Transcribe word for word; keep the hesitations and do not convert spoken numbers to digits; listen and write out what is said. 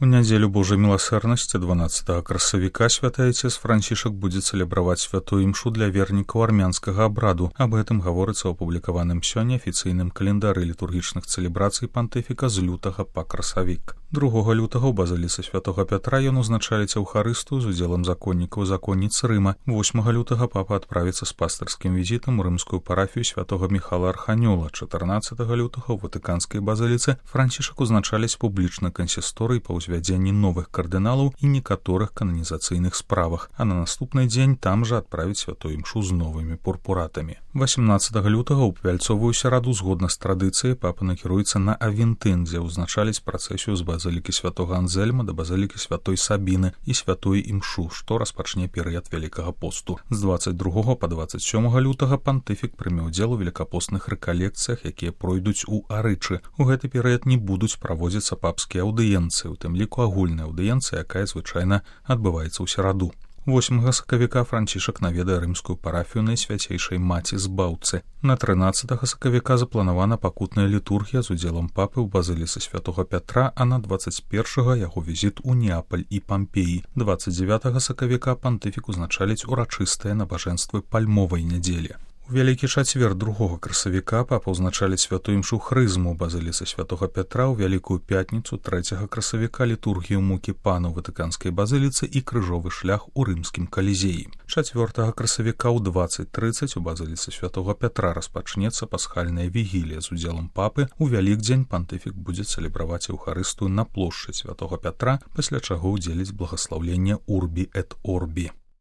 У нядзелю Божай міласэрнасці дванаццатага красавіка святы айцец Францішак будзе цэлебраваць святую імшу для вернікаў армянскага абраду. Аб гэтым гаворыцца ў апублікаваным сёння афіцыйным календары літургічных цэлебрацый пантыфіка з лютага па красавік. другога лютага ў базыліцы святога Пятра ён узначаліць Еўхарыстыю з удзелам законнікаў і законніц Рыма. восьмага лютага папа адправіцца з пастырскім візітам у рымскую парафію святога Міхала Арханёла. чатырнаццатага лютага ў ватыканскай базыліцы Францішак узначаліць публічны кансісторый па ўзвядзенні новых кардыналаў і некаторых кананізацыйных справах, а на наступны дзень там жа адправіць святую імшу з новымі пурпуратамі. васямнаццатага лютага ў вяльцовую сераду згодна з традыцыяй папа накіруецца на Авентын, дзе ўзначаліць працэсію з базылікі святога Анзельма да базылікі святой Сабіны і святой імшу, што распачне перыяд Вялікага посту. З дваццаць другога па дваццаць сёмага лютага пантыфік прыме ўдзел у велікапостных рэкалекцыях, якія пройдуць у Арычы. У гэты перыяд не будуць праводзіцца папскія аўдыенцыі, у тым ліку агульная аўдыенцыя, якая звычайна адбываецца ў сераду. восьмага сакавіка Францішак наведае рымскую парафію Найсвяцейшай Маці Збаўцы. На трынаццатага сакавіка запланавана пакутная літургія з удзелам папы ў базыліцы святога Пятра, а на дваццаць першага яго візіт у Неапаль і Пампеі. дваццаць дзевятага сакавіка пантыфік узначаліць урачыстыя набажэнствы пальмовай нядзелі. У вялікі чацвер другога красавіка папа ўзначаліць святую імшу хрызму ў базыліцы святога Пятра, ў вялікую пятніцу трэцяга красавіка літургію мукі пана ў ватыканскай базыліцы і крыжовы шлях у рымскім калізеі. чацвёртага красавіка ў дваццаць трыццаць у базыліцы святога Пятра распачнецца пасхальная вігілія з удзелам папы. У вялікдзень пантыфік будзе цэлебраваць Еўхарыстыю на плошчы святога Пятра, пасля чаго ўдзеліць благаслаўленне Урбі эт Орбі.